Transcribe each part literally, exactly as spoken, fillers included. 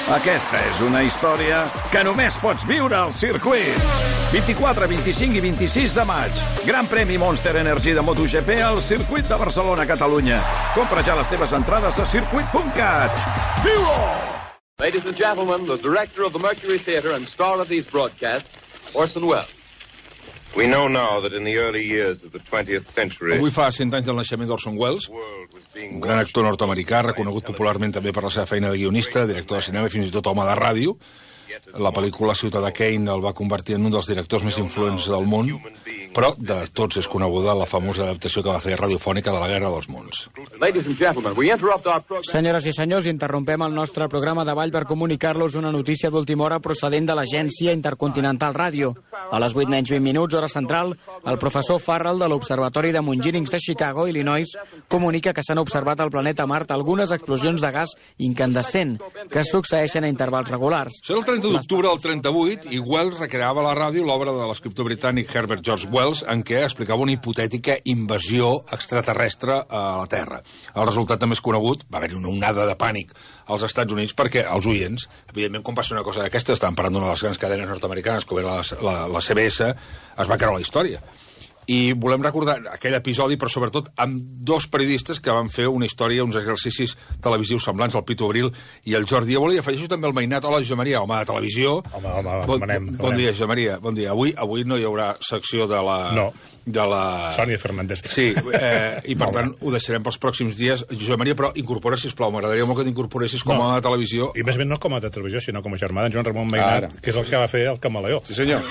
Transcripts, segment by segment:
Aquesta és una història que només pots viure al circuit. vint-i-quatre, vint-i-cinc i vint-i-sis de maig. Gran premi Monster Energy de MotoGP al circuit de Barcelona, Catalunya. Compra ja les teves entrades a circuit punt cat. Viu-ho! Ladies and gentlemen, the director of the Mercury Theatre and star of these broadcasts, Orson Welles. We know now that in the early years of the twentieth century... Avui fa cent anys del naixement d'Orson Welles, un gran actor nord-americà, reconegut popularment també per la seva feina de guionista, director de cinema i fins i tot home de ràdio. La pel·lícula Ciutadà Kane el va convertir en un dels directors més influents del món, però de tots és coneguda la famosa adaptació que va fer radiofònica de la Guerra dels Mons. Senyores i senyors, interrompem el nostre programa de ball per comunicar-los una notícia d'última hora procedent de l'Agència Intercontinental Ràdio. A les vuit menys vint minuts, hora central, el professor Farrell de l'Observatori de Montgironings de Chicago, Illinois, comunica que s'han observat al planeta Mart algunes explosions de gas incandescent que succeeixen a intervals regulars. Serà el trenta d'octubre del trenta-vuit i Wells recreava a la ràdio l'obra de l'escriptor britànic Herbert George Wells en què explicava una hipotètica invasió extraterrestre a la Terra. El resultat també és conegut, va haver-hi una onada de pànic als Estats Units perquè els oients, evidentment, quan passa una cosa d'aquesta, estan parlant d'una de les grans cadenes nord-americanes, com era la, la, la C B S, es va creure la història. I volem recordar aquell episodi, però sobretot amb dos periodistes que van fer una història, uns exercicis televisius semblants, el Pitu Abril i el Jordi Évole, i afegeixo també el Mainat. Hola, Josep Maria, home de televisió. Home, home, bon, manem, bon dia, Josep Maria, bon dia. Avui, avui no hi haurà secció de la... No, de la... Sònia Fernández. Sí, eh, i per tant ho deixarem pels pròxims dies. Josep Maria, però incorpora, sisplau, m'agradaria molt que t'incorporessis com a no. televisió. I més ben no com a de televisió, sinó com a germà d'en Joan Ramon Mainat, que és el que va fer el Camaleó. Sí, senyor.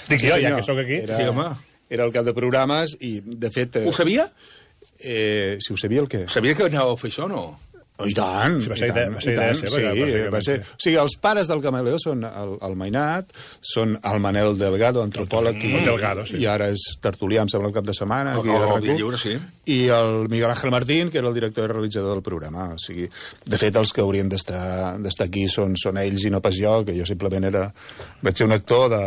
Dic sí, jo, senyor. ja que sóc aquí. Era... Sí, home. Era el cap de programes i, de fet... Ho sabia? Eh, si ho sabia, el què? Sabia que anàveu a fer això o no? Oh, i tant, sí, va ser i tant, idea, va ser i idea tant, seva, sí, que, va ser... O sigui, els pares del Camaleó són el, el Mainat, són el Manel Delgado, antropòleg, i, Delgado, sí. i ara és tertulià, em sembla, el cap de setmana. El, aquí el, a el Via Lliure, sí. I el Miguel Ángel Martín, que era el director i realitzador del programa. O sigui, de fet, els que haurien d'estar aquí són, són ells i no pas jo, que jo simplement era... Vaig ser un actor de...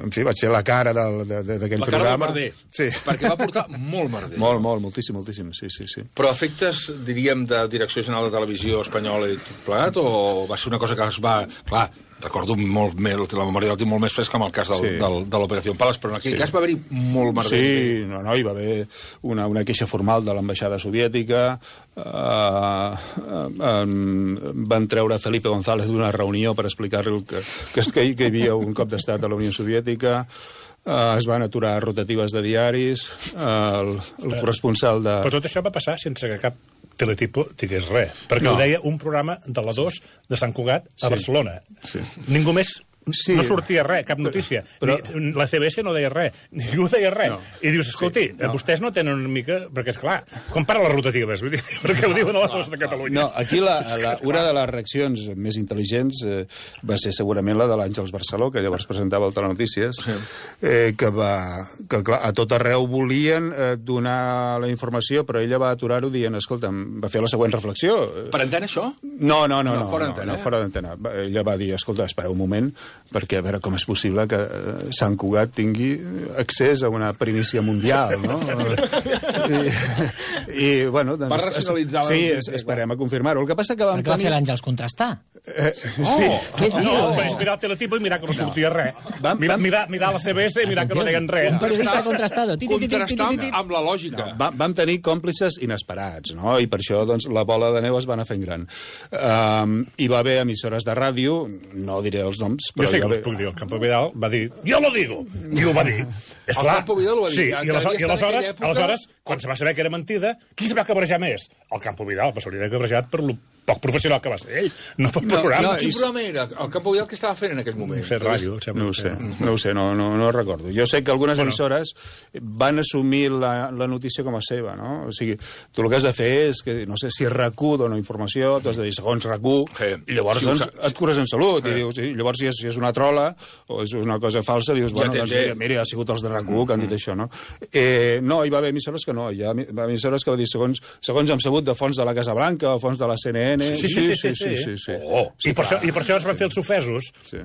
En fi, vaig ser la cara d'aquell programa. La cara del merder, sí. Perquè va portar molt merder. Molt, molt, moltíssim, moltíssim, sí, sí, sí. Però efectes, diríem, de Direcció General de Televisió espanyola i tot plegat, o va ser una cosa que es va... Clar, recordo molt més, la memòria del tinc molt més fresca amb el cas del, sí. del, de l'Operació Palas, però en aquell sí. cas va haver-hi molt merder. Sí, no, no, hi va haver una, una queixa formal de l'ambaixada soviètica, eh, eh, van treure Felipe González d'una reunió per explicar-li que, que, que hi havia un cop d'estat a la Unió Soviètica, Uh, es van aturar rotatives de diaris, uh, el, el corresponsal de... Però tot això va passar sense que cap teletipo digués res, perquè no. Ho deia un programa de la dos de Sant Cugat a sí. Barcelona. Sí. Ningú més... Sí. No sortia res, cap notícia. Però, però... La C B S no deia res, ningú deia res. No. I dius, escolti, sí, no. vostès no tenen una mica... Perquè, esclar, compara les rotatives, vull dir, perquè ho diuen a la dos de Catalunya. No, aquí la, la, una de les reaccions més intel·ligents eh, va ser segurament la de l'Àngels Barceló, que llavors presentava el Telenotícies, sí. eh, que, va, que clar, a tot arreu volien eh, donar la informació, però ella va aturar-ho dient, escolta'm, va fer la següent reflexió. Per antena, això? No, no, no. no, no fora no, antena, no, fora d'antena. Ella va dir, escolta, espera un moment, perquè a veure com és possible que Sant Cugat tingui accés a una primícia mundial, no? I, i bueno... Doncs, va racionalitzar... Sí, es, esperem a confirmar-ho. El que passa que vam tenir... Perquè va fer l'Àngels contrastar. Eh, oh, sí. Què dius? No, vaig mirar el teletipo i mirar que no sortia res. Vam, mirar, vam... mirar, mirar la C B S i mirar que no deien res. Un periodista contrastado. Contrastar amb la lògica. No, va, vam tenir còmplices inesperats, no? I per això doncs, la bola de neu es va anar fent gran. Um, hi va haver emissores de ràdio, no diré els noms... Però jo sé que us puc dir, el Campo Vidal va dir, jo lo digo, i ho va dir. El Campo Vidal ho va dir. Sí, i aleshores, i aleshores, aleshores, quan se va saber que era mentida, qui se va cabrejar més? El Campo Vidal, però s'hauria de cabrejat per lo poc professional que va ser ell, no pel no, programa. No, quin programa era? El Campo Vidal, què estava fent en aquell moment? No sé, ràdio. No ho sé, no ho sé, no, no, no recordo. Jo sé que algunes bueno. emissores van assumir la, la notícia com a seva, no? O sigui, tu el que has de fer és que, no sé, si R Q dona informació, tu has de dir segons R Q, sí. I llavors sí, doncs, et cures en salut, sí. I dius, i llavors si és, si és una trola o és una cosa falsa, dius, bueno, ja doncs, mira, mira, ha sigut els de R Q que han dit això, no? Eh, no, hi va haver emissores que no, hi ha emissores que va dir segons, segons hem sabut de fons de la Casa Blanca o fons de la C N N... Sí, sí, sí, sí. Sí, sí, sí. Oh, sí, I, per això, I per això es van fer els ofesos sí.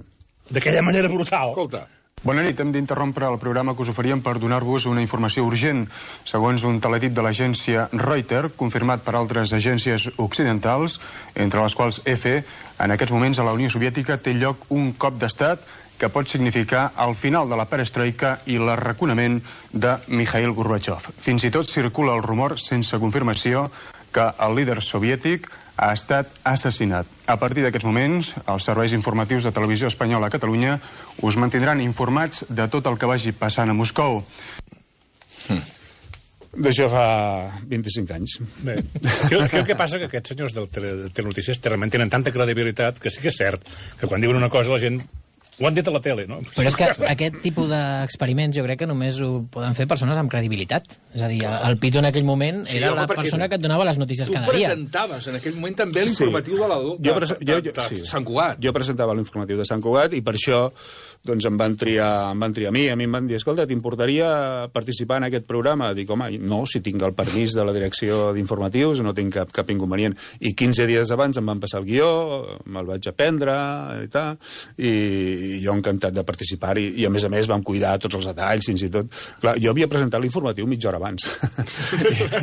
d'aquella manera brutal. Escolta. Bona nit, hem d'interrompre el programa que us oferíem per donar-vos una informació urgent. Segons un teletip de l'agència Reuters, confirmat per altres agències occidentals, entre les quals E F E, en aquests moments a la Unió Soviètica té lloc un cop d'estat que pot significar el final de la perestroika i l'arraconament de Mikhail Gorbachev. Fins i tot circula el rumor, sense confirmació, que el líder soviètic ha estat assassinat. A partir d'aquests moments, els serveis informatius de Televisió Espanyola a Catalunya us mantindran informats de tot el que vagi passant a Moscou. Mm. D'això fa vint-i-cinc anys. Bé, crec, crec que passa que aquests senyors del tele, telenotícies realment tenen tanta credibilitat que sí que és cert que quan diuen una cosa la gent ho han dit a la tele, no? Però és que aquest tipus d'experiments jo crec que només ho poden fer persones amb credibilitat. És a dir, el Pito en aquell moment Sí, era home, la perquè persona que et donava les notícies cada Tu dia. presentaves en aquell moment també l'informatiu de, la, de, Jo prese- de, jo- de, jo- de sí. Sant Cugat. Jo presentava l'informatiu de Sant Cugat i per això doncs, em, van triar, em van triar a mi. A mi em van dir, escolta, t'importaria participar en aquest programa? Dic, home, no, si tinc el permís de la direcció d'informatius no tinc cap, cap inconvenient. I quinze dies abans em van passar el guió, me'l vaig aprendre i tal, i jo encantat de participar i, i a més a més vam cuidar tots els detalls, fins i tot... Clar, jo havia presentat l'informatiu mitja hora abans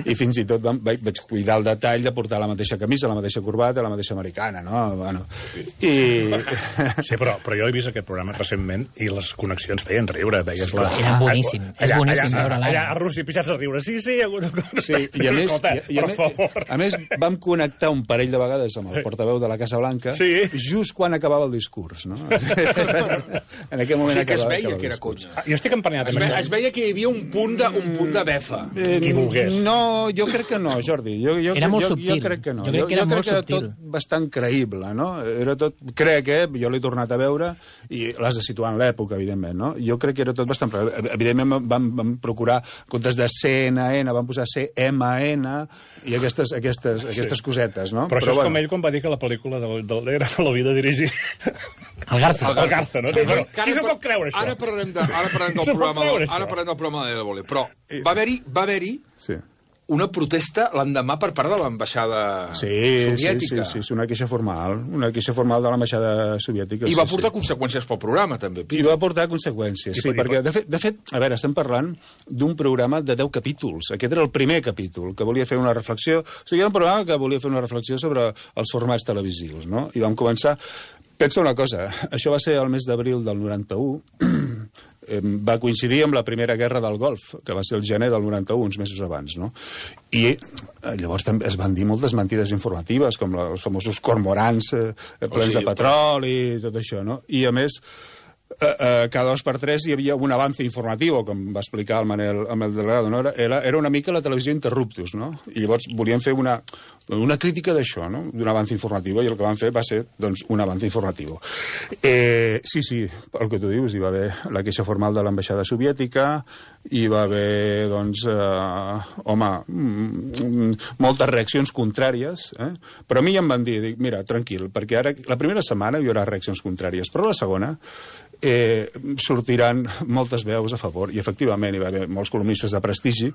I, i fins i tot vam, vaig, vaig cuidar el detall de portar la mateixa camisa, la mateixa corbata, la mateixa americana, no? Bueno, i... Sí, però, però jo he vist aquest programa recentment i les connexions feien riure. Veies la... Era boníssim, és boníssim allà, veure l'ara. allà a Rússia pixats a riure. Sí, sí, Sí, i a més, Escolta, i, i a, per més, favor. a més vam connectar un parell de vegades amb el portaveu de la Casa Blanca Sí. just quan acabava el discurs, no? En aquell moment O sigui que es acabava, veia acabava que el era discurs. conya. Jo estic emprenyat. Es, ve, es veia que hi havia un punt de, un punt de befa. Eh, Qui volgués. No, jo crec que no, Jordi. Jo, jo, Era molt jo, subtil. Jo crec que no. Jo crec que era jo, jo molt crec que era subtil. tot bastant creïble, no? Era tot... Crec, eh? Jo l'he tornat a veure i l'has de situar en l'època, evidentment, no? Jo crec que era tot bastant... Evidentment vam, vam procurar, en comptes de C N N, vam posar C M N i aquestes, aquestes, aquestes cosetes, no? Però, Però això és bueno, com ell quan va dir que la pel·lícula del, del era l'havia de dirigir El Garza. el Garza, no? Sí, Bueno, que qui ara s'ho par- pot creure, això? Ara parlarem, de, ara parlarem del S'ho pot programa, creure, del, ara això? parlarem del programa de Évole. Però va haver-hi va haver-hi Sí. una protesta l'endemà per part de l'ambaixada Sí, sí, soviètica. sí, sí, sí, una queixa formal, una queixa formal de l'ambaixada soviètica. I va sí, portar sí. conseqüències pel programa, també. I Pitu. va portar conseqüències, I sí, per- i perquè, per- de fet, de fet, a veure, estem parlant d'un programa de deu capítols. Aquest era el primer capítol, que volia fer una reflexió... O sigui, era un programa que volia fer una reflexió sobre els formats televisius, no? I vam començar... Pensa una cosa, això va ser el mes d'abril del noranta-u, eh, va coincidir amb la primera guerra del Golf, que va ser el gener del noranta-u, uns mesos abans, no? I eh, llavors també es van dir moltes mentides informatives, com la, els famosos cormorans eh, plens sí, de petroli i tot això, no? I, a més, eh, eh, cada dos per tres hi havia un avance informatiu, com va explicar el Manel, amb el delegado, no? Era, era una mica la televisió interruptus, no? I llavors volien fer una, una crítica d'això, no? D'un avance informatiu, i el que van fer va ser, doncs, un avance informatiu. Eh, sí, sí, el que tu dius, hi va haver la queixa formal de l'ambaixada soviètica, hi va haver, doncs, eh, home, mm, moltes reaccions contràries, eh? Però a mi ja em van dir, dic, mira, tranquil, perquè ara, la primera setmana hi haurà reaccions contràries, però la segona eh, sortiran moltes veus a favor, i efectivament hi va haver molts columnistes de prestigi,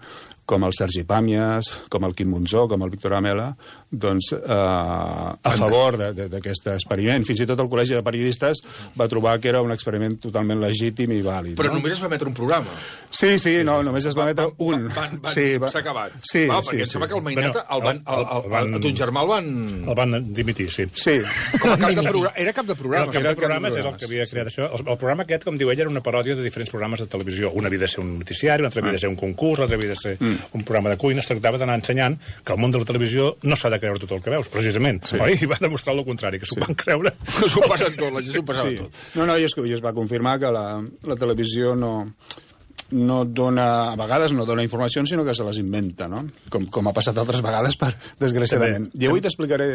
com el Sergi Pàmies, com el Quim Monzó, com el Víctor Amela, doncs eh, a favor d'aquest experiment. Fins i tot el Col·legi de Periodistes va trobar que era un experiment totalment legítim i vàlid. Però no? només es va emetre un programa. Sí, sí, no, només es va emetre un. Van, van, sí, va... S'ha acabat. Sí, Va, sí, perquè em sí. sembla que el Maineta, el van, el, el, el, van- el, ton germà el van... El van dimitir, sí. Sí. Com a cap de programa. Era cap de Però programa. el cap Era de el cap de programes és el programes. que havia creat això. El, el programa aquest, com diu ell, era una paròdia de diferents programes de televisió. Un havia de ser un noticiari, un altre havia de ser un concurs, l'altre havia de ser un programa de cuina. Es tractava d'anar ensenyant que el món de la televisió no s'ha de creure tot el que veus, precisament. Sí. Oi? I va demostrar el contrari, que s'ho van creure. S'ho passen tot, la gent s'ho passava Sí. tot. No, no, i es, i es va confirmar que la, la televisió no, no dona, a vegades no dona informacions, sinó que se les inventa, no? Com, com ha passat altres vegades, per, desgraciadament. També. I avui t'explicaré,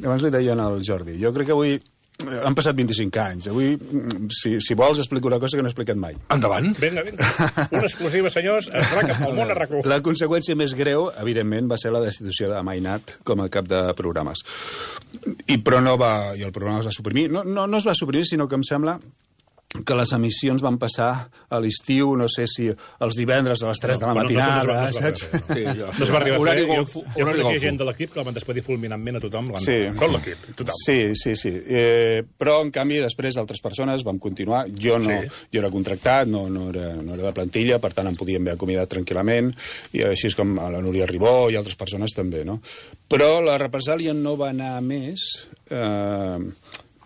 abans li deien al Jordi, jo crec que avui eh, han passat vint-i-cinc anys. Avui, mm, si, si vols, explico una cosa que no he explicat mai. Endavant. Vinga, vinga. Una exclusiva, senyors. Es raca pel món a RAC1. La conseqüència més greu, evidentment, va ser la destitució de Mainat com a cap de programes. I, però no va... I el programa es va suprimir. No, no, no es va suprimir, sinó que em sembla que les emissions van passar a l'estiu, no sé si els divendres a les tres no, de la matinada, no, no, saps? No, sí, jo, no es va arribar a fer. Jo, jo, jo coneixia gent de l'equip que la van despedir fulminantment a tothom. Sí. Tot l'equip, tothom. Sí, sí, sí. Eh, però, en canvi, després altres persones vam continuar. Jo no, sí. jo era contractat, no, no, era, no era de plantilla, per tant em podien haver acomiadat tranquil·lament, i així és com a la Núria Ribó i altres persones també, no? Però la represàlia no va anar més eh,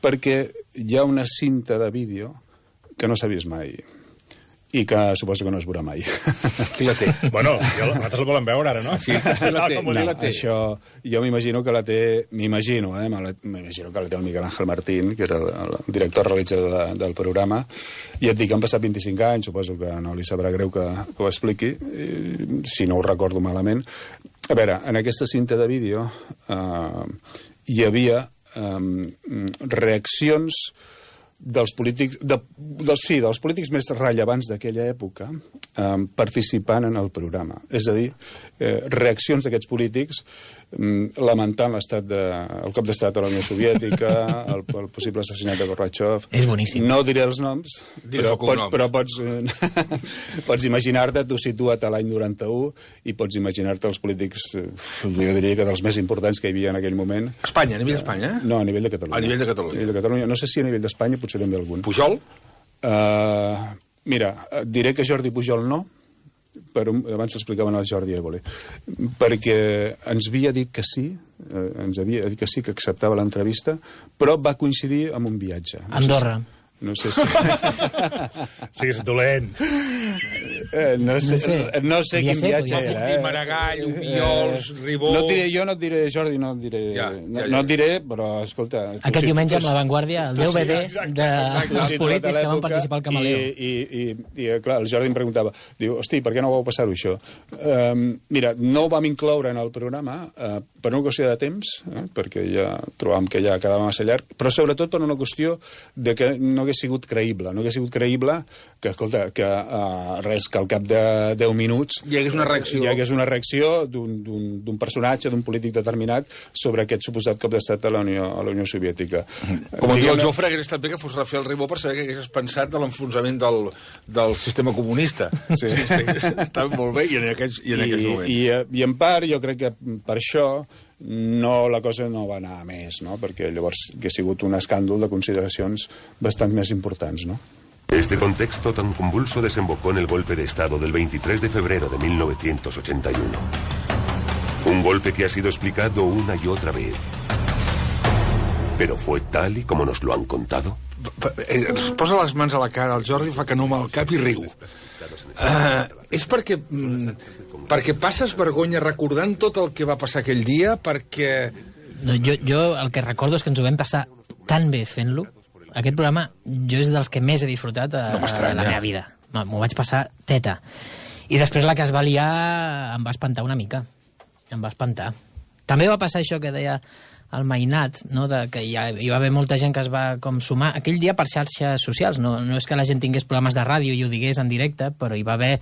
perquè hi ha una cinta de vídeo que no s'ha vist mai i que suposo que no es veurà mai. Qui la té? Bueno, jo, nosaltres la volem veure ara, no? Sí, qui la té? No, la té? Això, jo m'imagino que la té, m'imagino, eh, m'imagino que la té el Miguel Ángel Martín, que era el director realitzador de, del programa, i et dic que han passat vint-i-cinc anys, suposo que no li sabrà greu que, que ho expliqui, si no ho recordo malament. A veure, en aquesta cinta de vídeo eh, hi havia eh, reaccions dels polítics, de, dels, sí, dels polítics més rellevants d'aquella època eh, participant en el programa. És a dir, eh, reaccions d'aquests polítics eh, lamentant l'estat de, el cop d'estat a la Unió Soviètica, el, el possible assassinat de Gorbachev. És boníssim. No diré els noms, però, pot, però pots, eh, pots imaginar-te, tu situa't a l'any noranta-u i pots imaginar-te els polítics, eh, jo diria que dels més importants que hi havia en aquell moment. Espanya, a nivell d'Espanya? No, a nivell de Catalunya. A nivell de Catalunya. A nivell de Catalunya. No sé si a nivell d'Espanya potser també algun. Pujol? Uh, mira, diré que Jordi Pujol no, però abans explicaven el Jordi Évole, perquè ens havia dit que sí, eh, ens havia dit que sí, que acceptava l'entrevista, però va coincidir amb un viatge. No Andorra. Sé si, no sé si... Sí, és dolent. Eh, no sé, no sé, no sé quin ser, viatge era. Eh? Maragall, Obiols, eh, Ribó... No et diré, jo no et diré, Jordi, no et diré, ja, ja, ja. No, no et diré, però, escolta... Aquest diumenge amb La Vanguardia, el D V D dels polítics que van participar al Camaleo. I, i, i, i, clar, el Jordi em preguntava, diu, hosti, per què no vau passar-ho, això? Um, mira, no ho vam incloure en el programa uh, per una qüestió de temps, eh, perquè ja trobàvem que ja quedava massa llarg, però sobretot per una qüestió de que no hagués sigut creïble, no hagués sigut creïble que, escolta, que uh, res, que al cap de deu minuts hi hagués una reacció, hi hagués una reacció d'un personatge, d'un polític determinat sobre aquest suposat cop d'estat a la Unió, a la Unió Soviètica. Com diu el Jofre, hagués estat bé que fos Rafael Ribó per saber que hagués pensat de l'enfonsament del, del sistema comunista. Sí. Està molt bé i en aquests, i en I, aquests moments. I, I en part jo crec que per això no, la cosa no va anar a més, no? Perquè llavors hauria sigut un escàndol de consideracions bastant més importants, no? Este contexto tan convulso desembocó en el golpe de Estado del veintitrés de febrero de mil novecientos ochenta y uno. Un golpe que ha sido explicado una y otra vez. ¿Pero fue tal y como nos lo han contado? Es posa les mans a la cara, el Jordi fa que no amb el cap i riu. Uh, és perquè, mm, perquè passes vergonya recordant tot el que va passar aquell dia, perquè... No, jo, jo el que recordo és que ens ho vam passar tan bé fent-lo. Aquest programa jo és dels que més he disfrutat a, no a la meva vida. M'ho vaig passar teta. I després la que es va liar em va espantar una mica. Em va espantar. També va passar això que deia el Mainat, no? De que hi, ha, hi va haver molta gent que es va com sumar aquell dia per xarxes socials. No, no és que la gent tingués programes de ràdio i ho digués en directe, però hi va haver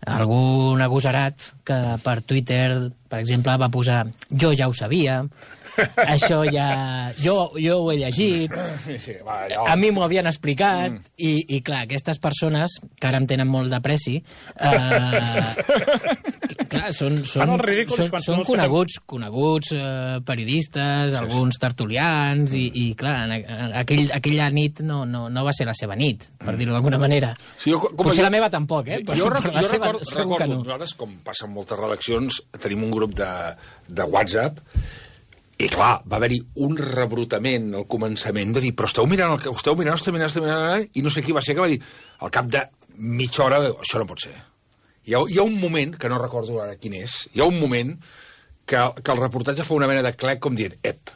algun agosarat que per Twitter, per exemple, va posar jo ja ho sabia, això ja... Jo, jo ho he llegit, sí, va, allò... a mi m'ho havien explicat, mm. i, i clar, aquestes persones, que ara em tenen molt d'apreci, eh, clar, són, són, són, són coneguts, coneguts eh, periodistes, sí, alguns tertulians, i, i clar, aquell, aquella nit no, no, no va ser la seva nit, per dir-ho d'alguna manera. Sí, jo, Potser jo, la meva tampoc, eh? Però, jo recordo, però la jo seva, recordo, recordo no. Nosaltres, com passa en moltes redaccions, tenim un grup de, de WhatsApp. I clar, va haver-hi un rebrutament al començament de dir, però esteu mirant, el que esteu mirant, esteu mirant, esteu mirant, i no sé qui va ser que va dir, al cap de mitja hora, això no pot ser. Hi ha, hi ha un moment, que no recordo ara quin és, hi ha un moment que, que el reportatge fa una mena de clec com dient, ep.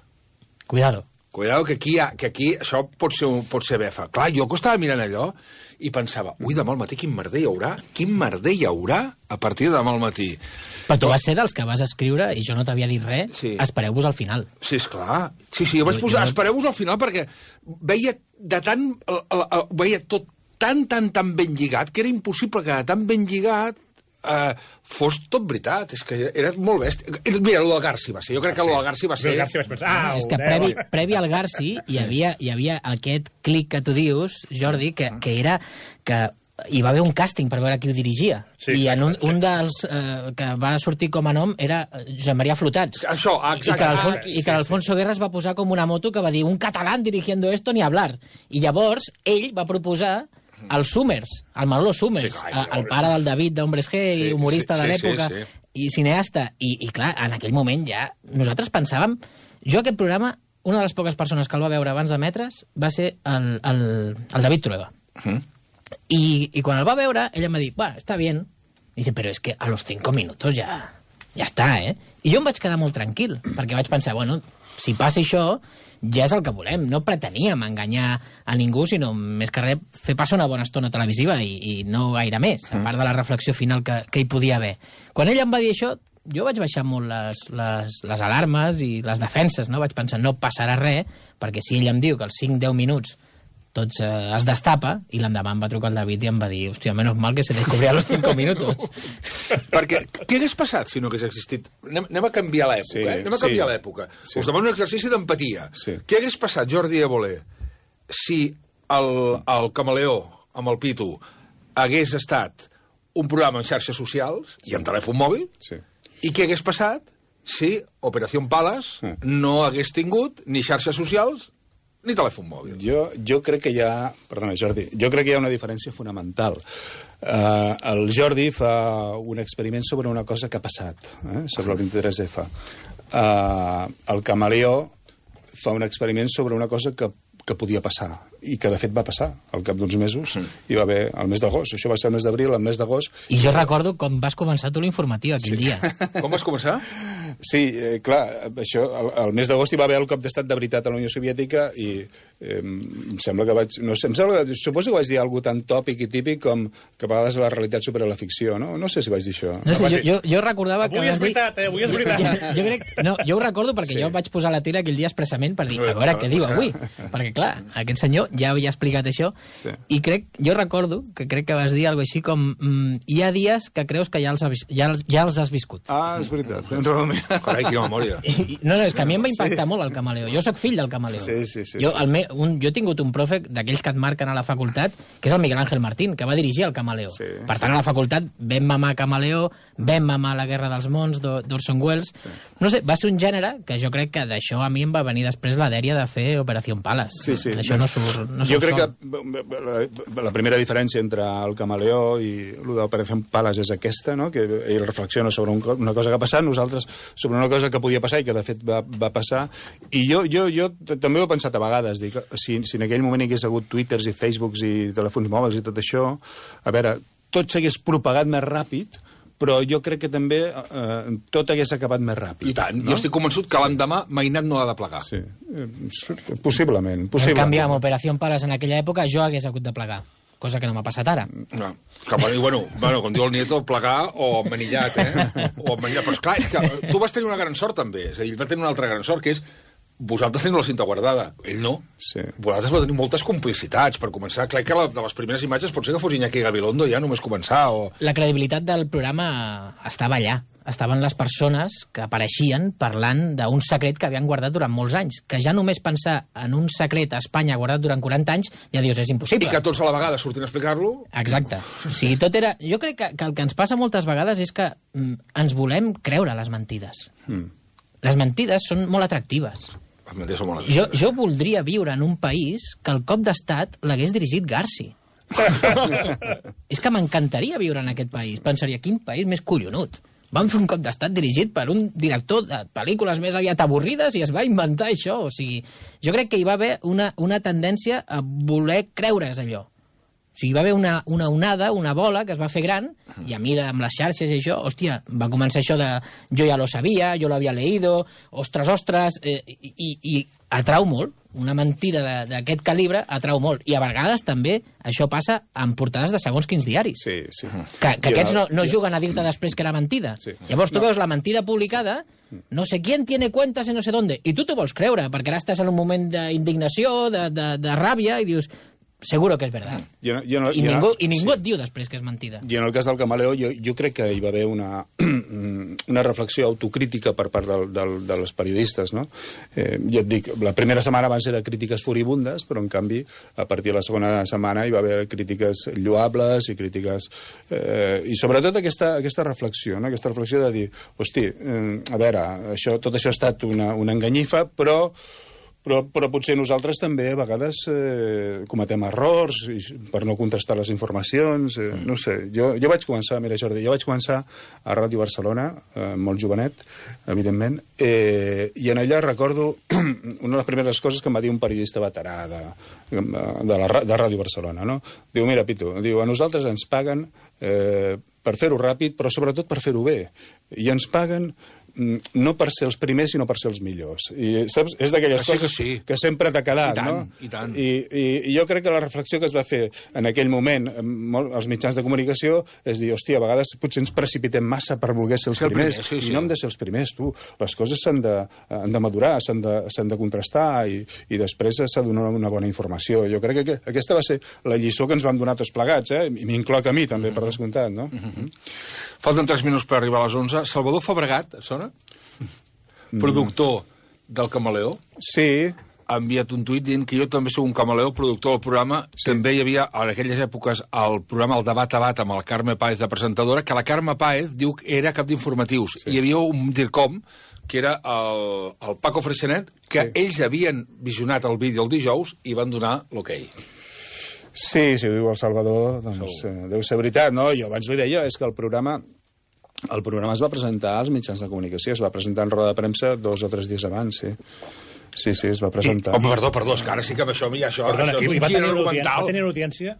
Cuidado. Cuidado, que aquí, ha, que aquí això pot ser, pot ser befa. Clar, jo que estava mirant allò i pensava, ui, demà al matí quin merder hi haurà? Quin merder hi haurà a partir de demà al matí? Però tu vas ser dels que vas escriure, i jo no t'havia dit res, sí. Espereu-vos al final. Sí, esclar. Sí, sí, jo vaig posar, jo... espereu-vos al final, perquè veia de tant... Veia tot tan, tan, tan ben lligat, que era impossible que de tan ben lligat Uh, fos tot veritat, és que era molt bèstia. Mira, el del Garci va ser, jo crec que el del Garci va ser... El Garci vas pensar, ah, és que previ, previ al Garci hi havia, hi havia aquest clic que tu dius, Jordi, que, que era que hi va haver un càsting per veure qui ho dirigia. Sí, I en un, un dels eh, que va sortir com a nom era Joan Maria Flotats. Això, exacte. I que, Alfon, i que l'Alfonso sí, sí. Guerra es va posar com una moto que va dir un català dirigiendo esto ni hablar. I llavors ell va proposar el Summers, el Manolo Summers, sí, clar, el pare del David d'Hombres G, sí, humorista sí, de l'època, sí, sí, sí. i cineasta. I, I clar, en aquell moment ja nosaltres pensàvem... Jo aquest programa, una de les poques persones que el va veure abans d'emetre's va ser el, el, el David Trueba. Uh -huh. I, I quan el va veure, ell em va dir, bueno, està bien. I dice, però és que a los cinco minutos ja, ja està, eh? I jo em vaig quedar molt tranquil, perquè vaig pensar, bueno, si passa això, ja és el que volem. No preteníem enganyar a ningú, sinó més que res fer passar una bona estona televisiva i, i no gaire més, a part de la reflexió final que, que hi podia haver. Quan ell em va dir això, jo vaig baixar molt les, les, les alarmes i les defenses, no? Vaig pensar, no passarà res, perquè si ell em diu que als cinc deu minuts tots eh, es destapa, i l'endemà em va trucar el David i em va dir, hòstia, menos mal que se descobria a los cinco minutos. Perquè què hagués passat si no hagués existit? Anem, anem a canviar l'època, sí, eh? Anem a canviar sí, l'època. Sí. Us demano un exercici d'empatia. Sí. Què hagués passat, Jordi Évole, si el, el Camaleó, amb el Pitu, hagués estat un programa en xarxes socials i amb telèfon mòbil? Sí. I què hagués passat si Operació Pales sí. no hagués tingut ni xarxes socials ni telèfon mòbil? Jo, jo crec que hi ha... Perdona, Jordi. Jo crec que hi ha una diferència fonamental. Uh, el Jordi fa un experiment sobre una cosa que ha passat, eh? sobre el vint-i-tres efa. Uh, el Camaleó fa un experiment sobre una cosa que, que podia passar, i que de fet va passar al cap d'uns mesos. Mm. Hi va haver el mes d'agost. Això va ser el mes d'abril, el mes d'agost. I jo recordo com vas començar tu l'informatiu aquell sí. dia. Com vas començar? Sí, eh, clar, això, el, el mes d'agost hi va haver el cop d'estat de veritat a la Unió Soviètica i eh, em sembla que vaig... No sé, em sembla que, suposo que vaig dir alguna tan tòpic i típic com que a vegades la realitat supera la ficció, no? No sé si vaig dir això. No sé, jo, jo, jo recordava avui que... Avui és veritat, eh? Avui és veritat. Jo, jo, crec, no, jo ho recordo perquè sí. jo vaig posar la tira aquell dia expressament per dir, a veure què diu avui. Perquè, clar, aquest senyor ja havia explicat això sí. i crec, jo recordo que crec que vas dir alguna així com mm, hi ha dies que creus que ja els, has, ja, ja els has viscut. Ah, és veritat. Realment. Carai, quina memòria. I, no, no, és que a mi em va impactar sí. molt el Camaleó. Jo sóc fill del Camaleó. Sí, sí, sí, jo, sí. El me, un, jo he tingut un profe d'aquells que et marquen a la facultat, que és el Miguel Ángel Martín, que va dirigir el Camaleó. Sí, per tant, sí. a la facultat vam mamar Camaleó, vam mamar La guerra dels mons d'Orson Welles. Sí. No sé, va ser un gènere que jo crec que d'això a mi em va venir després la dèria de fer Operació Pales. Sí, sí. D'això no surt no Jo crec sol. que la, la primera diferència entre el Camaleó i l'Operació Pales és aquesta, no? Que ell reflexiona sobre un, una cosa que ha passat, nosaltres sobre una cosa que podia passar i que de fet va, va passar. I jo, jo, jo també ho he pensat a vegades, dic, si, si en aquell moment hi hagués hagut Twitters i Facebooks i telèfons mòbils i tot això, a veure, tot s'hagués propagat més ràpid, però jo crec que també eh, tot hagués acabat més ràpid. I tant, no? Jo estic convençut que l'endemà Mainat no ha de plegar. Sí, eh, possiblement, possiblement. En canvi, amb Operació Pales en aquella època jo hagués hagut de plegar, cosa que no m'ha passat ara. No, que, bueno, bueno, com diu el Nieto, plegar o manillat, eh? O manillat. Però esclar, és que tu vas tenir una gran sort també, és a dir, ell va tenir una altra gran sort, que és vosaltres teniu la cinta guardada, ell no. Sí. Vosaltres vau tenir moltes complicitats, per començar. Clar que la, de les primeres imatges pot ser que fos Iñaki Gabilondo ja només començar. O... La credibilitat del programa estava allà. Estaven les persones que apareixien parlant d'un secret que havien guardat durant molts anys. Que ja només pensar en un secret a Espanya guardat durant quaranta anys, ja dius, és impossible. I que tots a la vegada sortint a explicar-lo. Exacte. O sigui, tot era... Jo crec que, que el que ens passa moltes vegades és que mm, ens volem creure les mentides. Mm. Les mentides són molt atractives. Jo, jo voldria viure en un país que el cop d'estat l'hagués dirigit Garci. És que m'encantaria viure en aquest país. Pensaria, quin país més collonut. Van fer un cop d'estat dirigit per un director de pel·lícules més aviat avorrides i es va inventar això. O sigui, jo crec que hi va haver una, una tendència a voler creure's allò. O sigui, hi va haver una, una onada, una bola que es va fer gran, i a mi, amb les xarxes i això, hòstia, va començar això de jo ja lo sabia, jo l'havia leído, ostres, ostres, eh, i, i, i atrau molt. Una mentida d'aquest calibre atrau molt. I a vegades també això passa en portades de segons quins diaris. Sí, sí. Que, que aquests no, no juguen a dir-te després que era mentida. Sí. Llavors tu no. veus la mentida publicada, no sé quién tiene cuentas en no sé dónde, i tu t'ho vols creure, perquè ara estàs en un moment d'indignació, de, de, de ràbia, i dius... seguro que és verdad. Jo, jo no, I, jo ningú, no, i ningú sí. et diu després que és mentida. I en el cas del Camaleó, jo, jo crec que hi va haver una, una reflexió autocrítica per part del, del, dels periodistes, no? Eh, jo et dic, la primera setmana van ser de crítiques furibundes, però en canvi, a partir de la segona setmana hi va haver crítiques lloables i crítiques... Eh, i sobretot aquesta, aquesta reflexió, no? Aquesta reflexió de dir, hosti, eh, a veure, això, tot això ha estat una, una enganyifa, però... Però, però potser nosaltres també a vegades eh, cometem errors i, per no contrastar les informacions. Eh, no sé, jo, jo vaig començar, mira Jordi, jo vaig començar a Ràdio Barcelona, eh, molt jovenet, evidentment, eh, i en allà recordo una de les primeres coses que em va dir un periodista veterà de, de, la, de Ràdio Barcelona, no? Diu, mira, Pitu, diu, a nosaltres ens paguen eh, per fer-ho ràpid, però sobretot per fer-ho bé. I ens paguen no per ser els primers, sinó per ser els millors. I, saps? És d'aquelles sí, coses que, sí. que sempre t'ha quedat, I tant, no? I tant. I, i, I jo crec que la reflexió que es va fer en aquell moment als mitjans de comunicació és dir, hòstia, a vegades potser ens precipitem massa per voler ser els sí, primers, primer, sí, sí. I no hem de ser els primers, tu. Les coses s'han de, han de madurar, s'han de, s'han de contrastar i, i després s'ha de donar una bona informació. Jo crec que aquesta va ser la lliçó que ens van donar tots plegats, eh? I m'incloc a mi, també, mm-hmm. per descomptat, no? Mm-hmm. Falten tres minuts per arribar a les onze. Salvador Fabregat, et sona? Productor del Camaleó. Sí. Ha enviat un tuit dient que jo també soc un camaleó, productor del programa. Sí. També hi havia, en aquelles èpoques, el programa El Debat a Bat amb la Carme Páez de presentadora, que la Carme Páez diu que era cap d'informatius. Sí. Hi havia un DIRCOM, que era el, el Paco Freixenet, que sí. ells havien visionat el vídeo el dijous i van donar l'ok. Sí, si ho diu el Salvador, doncs eh, deu ser veritat, no? Jo abans li deia, és que el programa... El programa es va presentar als mitjans de comunicació, es va presentar en roda de premsa dos o tres dies abans, sí. Sí, sí, es va presentar. I, home, perdó, perdó, és que ara sí que amb això, mira, això, Perdona, això és un va gir tenir argumental. Va tenir una audiència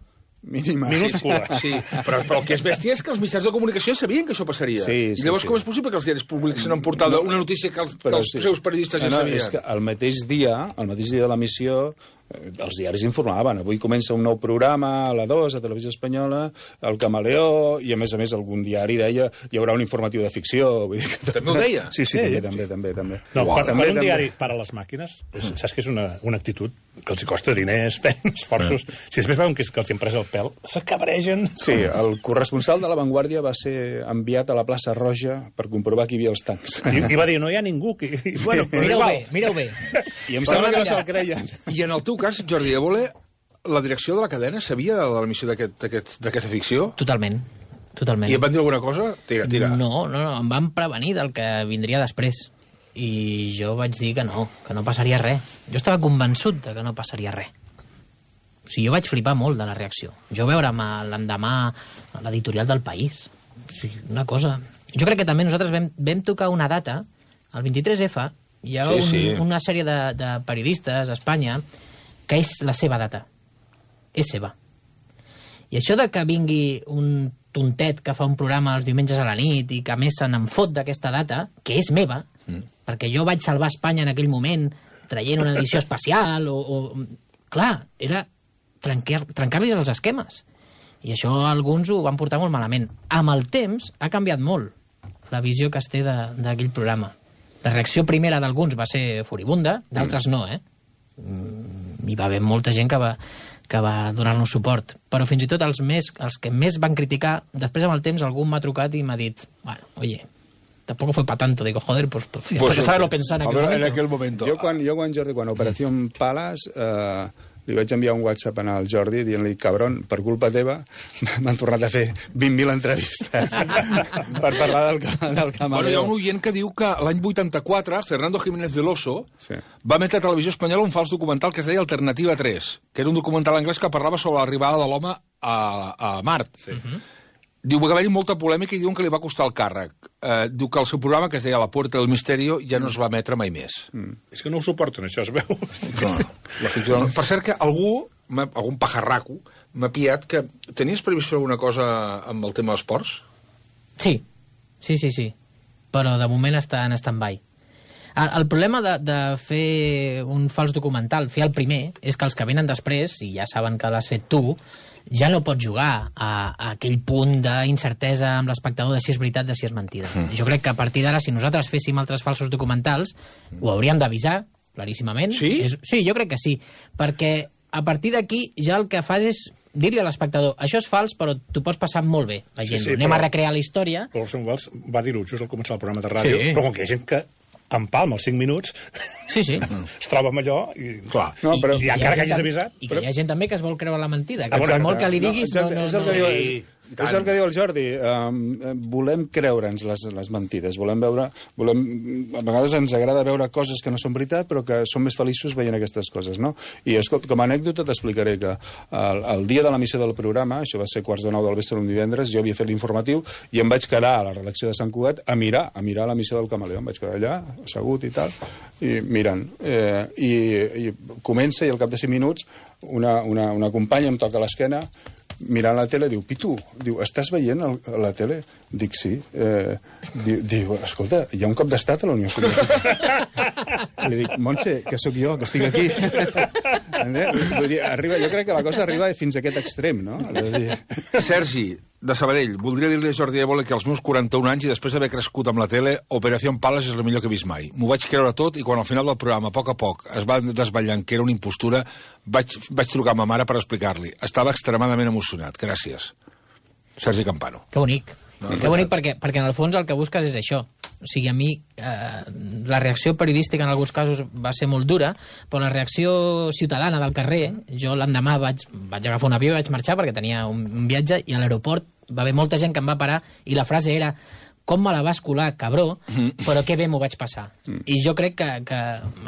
mínima. minúscula. Sí, sí, però, però el que és bèstia és que els mitjans de comunicació sabien que això passaria. Sí, sí, I llavors sí. com és possible que els diaris publiquin en portada una notícia que els, que els sí. seus periodistes ja no, no, sabien? És que el mateix dia, el mateix dia de l'emissió, els diaris informaven, avui comença un nou programa a la dos, a Televisió Espanyola, el Camaleó, i a més a més algun diari deia hi haurà un informatiu de ficció. Vull dir que... També ho deia? Sí, sí, sí, també, sí. també, també, també. No, Uau, quan, també, quan un també. diari para les màquines, és, saps que és una, una actitud que els costa diners, feines, esforços. Si després veuen que, és, que els hi hem pres el pèl, s'acabregen. Sí, el corresponsal de La Vanguardia va ser enviat a la plaça Roja per comprovar que hi havia els tancs. I, i va dir, no hi ha ningú. Que... I, bueno, mireu bé, mireu bé. I em sembla que no se'l creien. I en el teu cas, Jordi Évole, la direcció de la cadena sabia de l'emissió d'aquesta ficció? Totalment. Totalment. I et van dir alguna cosa? Tira, tira. No, no, no, em van prevenir del que vindria després. I jo vaig dir que no, que no passaria res. Jo estava convençut de que no passaria res. O sigui, jo vaig flipar molt de la reacció. Jo veure'm l'endemà a l'editorial del País. O sigui, una cosa... Jo crec que també nosaltres vam, vam tocar una data, el vint-i-tres efa, hi ha sí, un, sí. una sèrie de, de periodistes a Espanya que és la seva data. És seva. I això de que vingui un tontet que fa un programa els diumenges a la nit i que a més se n'en fot d'aquesta data, que és meva, mm. perquè jo vaig salvar Espanya en aquell moment traient una edició especial o... o... Clar, era trencar, trencar-los els esquemes. I això alguns ho van portar molt malament. Amb el temps ha canviat molt la visió que es té d'aquell programa. La reacció primera d'alguns va ser furibunda, d'altres mm. no, eh? Hi va haver molta gent que va, que va donar-nos suport. Però fins i tot els, més, els que més van criticar, després amb el temps algú m'ha trucat i m'ha dit, bueno, oye, tampoco fue para tanto. Digo, joder, pues, pues, pues que saberlo pensar en aquel, momento. en aquel momento. Jo quan, jo quan Jordi, quan Operació Palas, eh, li vaig enviar un WhatsApp al Jordi dient-li, cabron, per culpa teva m'han tornat a fer vint mil entrevistes per parlar del, del Camaleó. Bueno, hi ha un oient que diu que l'any vuitanta-quatre Fernando Jiménez del Oso sí. va emetre a Televisió Espanyola un fals documental que es deia Alternativa tres, que era un documental anglès que parlava sobre l'arribada de l'home a, a Mart. Sí. Uh-huh. Diu que va haver-hi molta polèmica i diuen que li va costar el càrrec. Eh, diu que el seu programa, que es deia La Puerta del Misterio, ja no es va emetre mai més. Mm. És que no ho suporten, això, es veu. No, la ficció... Per cert que algú, algun pajarraco, m'ha pillat que tenies previst fer alguna cosa amb el tema dels ports? Sí, sí, sí, sí. Però de moment està en stand-by. El, el problema de, de fer un fals documental, fer el primer, és que els que venen després, i ja saben que l'has fet tu, ja no pots jugar a, a aquell punt d'incertesa amb l'espectador de si és veritat, de si és mentida. Mm. Jo crec que a partir d'ara, si nosaltres féssim altres falsos documentals, ho hauríem d'avisar, claríssimament. Sí? És, sí, jo crec que sí, perquè a partir d'aquí ja el que fas és dir-li a l'espectador, això és fals, però tu pots passar molt bé veient-ho. Sí, sí, Anem però... a recrear la història. Però Orson Welles va dir-ho just al començar el programa de ràdio, sí. Però com que hi ha gent que empalma els cinc minuts, sí, sí. es troba amb allò i, clar, no, però, i, i encara que hagis avisat... I que però... hi ha gent també que es vol creure la mentida, que ah, per molt que li diguis... No, no, no, és el no, que no, diu, és, és el que diu el Jordi. Um, volem creure'ns les, les mentides, volem veure... Volem, a vegades ens agrada veure coses que no són veritat, però que som més feliços veient aquestes coses, no? I, escolta, com a anècdota t'explicaré que el, el dia de l'emissió del programa, això va ser quarts de nou del vespre un divendres, jo havia fet l'informatiu i em vaig quedar a la redacció de Sant Cugat a mirar, a mirar l'emissió del Camaleó. Em vaig quedar allà, assegut i tal, i mirant. Eh, i, I comença, i al cap de cinc minuts, una, una, una companya em toca l'esquena, mirant la tele, diu, Pitu, diu, estàs veient el, la tele? Dic, sí. Eh, diu, diu, escolta, hi ha un cop d'estat a la Unió Soviètica. Li dic, Montse, que sóc jo, que estic aquí. Vull dir, arriba, jo crec que la cosa arriba fins a aquest extrem, no? Dir... Sergi, de Sabadell, voldria dir-li a Jordi Évole que als meus quaranta-un anys i després d'haver crescut amb la tele, Operació Pales és el millor que he vist mai. M'ho vaig creure tot i quan al final del programa, a poc a poc, es va desvetllant que era una impostura, vaig, vaig trucar a ma mare per explicar-li. Estava extremadament emocionat. Gràcies. Sergi Campano. Que bonic. No, que bonic perquè, perquè en el fons el que busques és això. O sigui, a mi eh, la reacció periodística en alguns casos va ser molt dura, però la reacció ciutadana del carrer, jo l'endemà vaig, vaig agafar un avió i vaig marxar perquè tenia un, un viatge i a l'aeroport va haver molta gent que em va parar i la frase era com me la vas colar, cabró, però que bé m'ho vaig passar. Mm. I jo crec que, que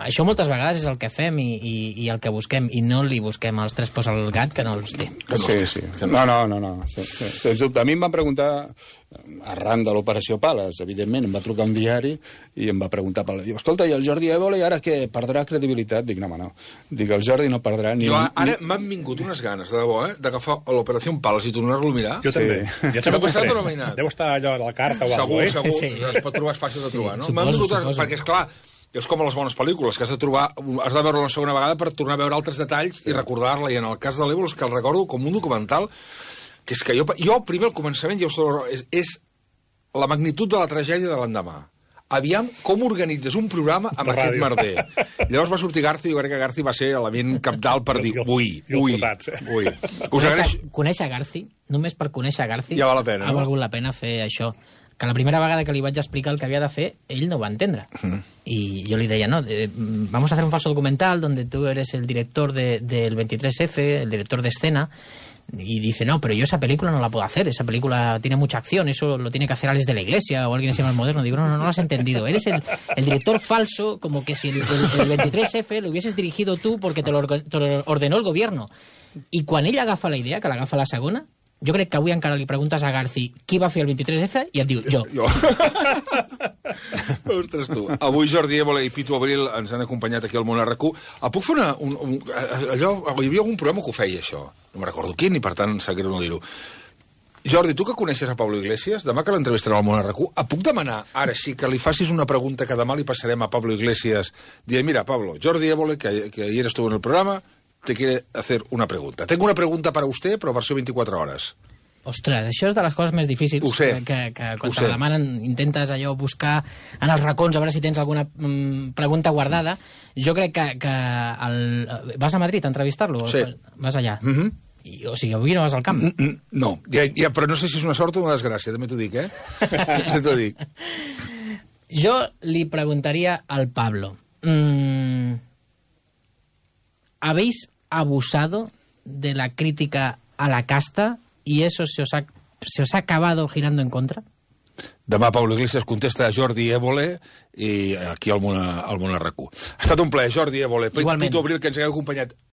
això moltes vegades és el que fem i, i, i el que busquem, i no li busquem els tres pors al gat que no els té. Sí, sí. No, no, no. no. Sí, sí. Sens dubte. A mi em van preguntar, arran de l'Operació Pales, evidentment, em va trucar un diari i em va preguntar, diu, escolta, i el Jordi Évole ara què? Perdrà credibilitat? Dic, no, home, no. Dic, el Jordi no perdrà ni... Jo, ara ni... m'han vingut unes ganes, de debò, eh, d'agafar l'Operació Pales i tornar-lo a mirar. Jo sí. També. Ja t'ha passat o no m'ha anat? Deu estar allò a la carta o segur, alguna cosa, eh? Segur, segur. Sí. Es pot trobar, és fàcil de trobar, sí, no? M'han vingut, perquè, esclar, és com a les bones pel·lícules, que has de trobar, has de veure una segona vegada per tornar a veure altres detalls sí. I recordar-la, i en el cas de l'Évole és que el recordo com un documental, que és que jo, jo primer al començament, ja us és, és la magnitud de la tragèdia de l'endemà. Aviam com organitzes un programa amb de aquest merder. Llavors va sortir Garci i jo crec que Garci va ser element capdalt per dir ui, ui, ui. Conèixer, conèixer Garci, només per conèixer Garci, ja val la pena, ha valgut la pena fer això. Que la primera vegada que li vaig explicar el que havia de fer, ell no ho va entendre. Mm. I jo li deia, no, de, vamos a hacer un falso documental donde tú eres el director de, del veintitrés efe, el director de escena. Y dice, no, pero yo esa película no la puedo hacer, esa película tiene mucha acción, eso lo tiene que hacer Alex de la Iglesia o alguien así más moderno. Digo, no, no, no lo has entendido, eres el, el director falso, como que si el, el, el veintitrés efe lo hubieses dirigido tú porque te lo, te lo ordenó el gobierno. I quan ell agafa la idea, que l'agafa la segona, jo crec que avui encara li preguntes a Garci qui va fer el veintitrés efe i et diu, jo. Jo. Ostres, tu. Avui Jordi Évole i Pitu Abril ens han acompanyat aquí al Món R Q. Puc fer una... Un, un, allò, hi havia algun programa que ho feia, això. No me'n recordo quin, i per tant seguiré no dir-ho. Jordi, tu que coneixes a Pablo Iglesias, demà que l'entrevistarem al Món R Q, et puc demanar, ara sí, que li facis una pregunta que demà li passarem a Pablo Iglesias, dient, mira, Pablo, Jordi Évole, que, que ayer estuvo en el programa, te quiere hacer una pregunta. Tengo una pregunta para usted, però versió veinticuatro hores. Ostres, això és de les coses més difícils. Ho sé. Que, que quan te la demanen intentes allò buscar en els racons a veure si tens alguna mm, pregunta guardada. Jo crec que, que el... Vas a Madrid a entrevistar-lo? Sí. Vas allà? Mhm. Mm I, o sigui, avui no vas al camp? Mm -mm, no, ja, ja, però no sé si és una sort o una desgràcia, també t'ho dic, eh? Sí, t'ho dic. Jo li preguntaria al Pablo, mm, ¿habéis abusado de la crítica a la casta y eso se os ha, se os ha acabado girando en contra? Demà Pablo Iglesias contesta a Jordi Évole i aquí al Món, al Món R Q. Ha estat un plaer, Jordi Évole. Pitu Abril, que ens hagueu acompanyat.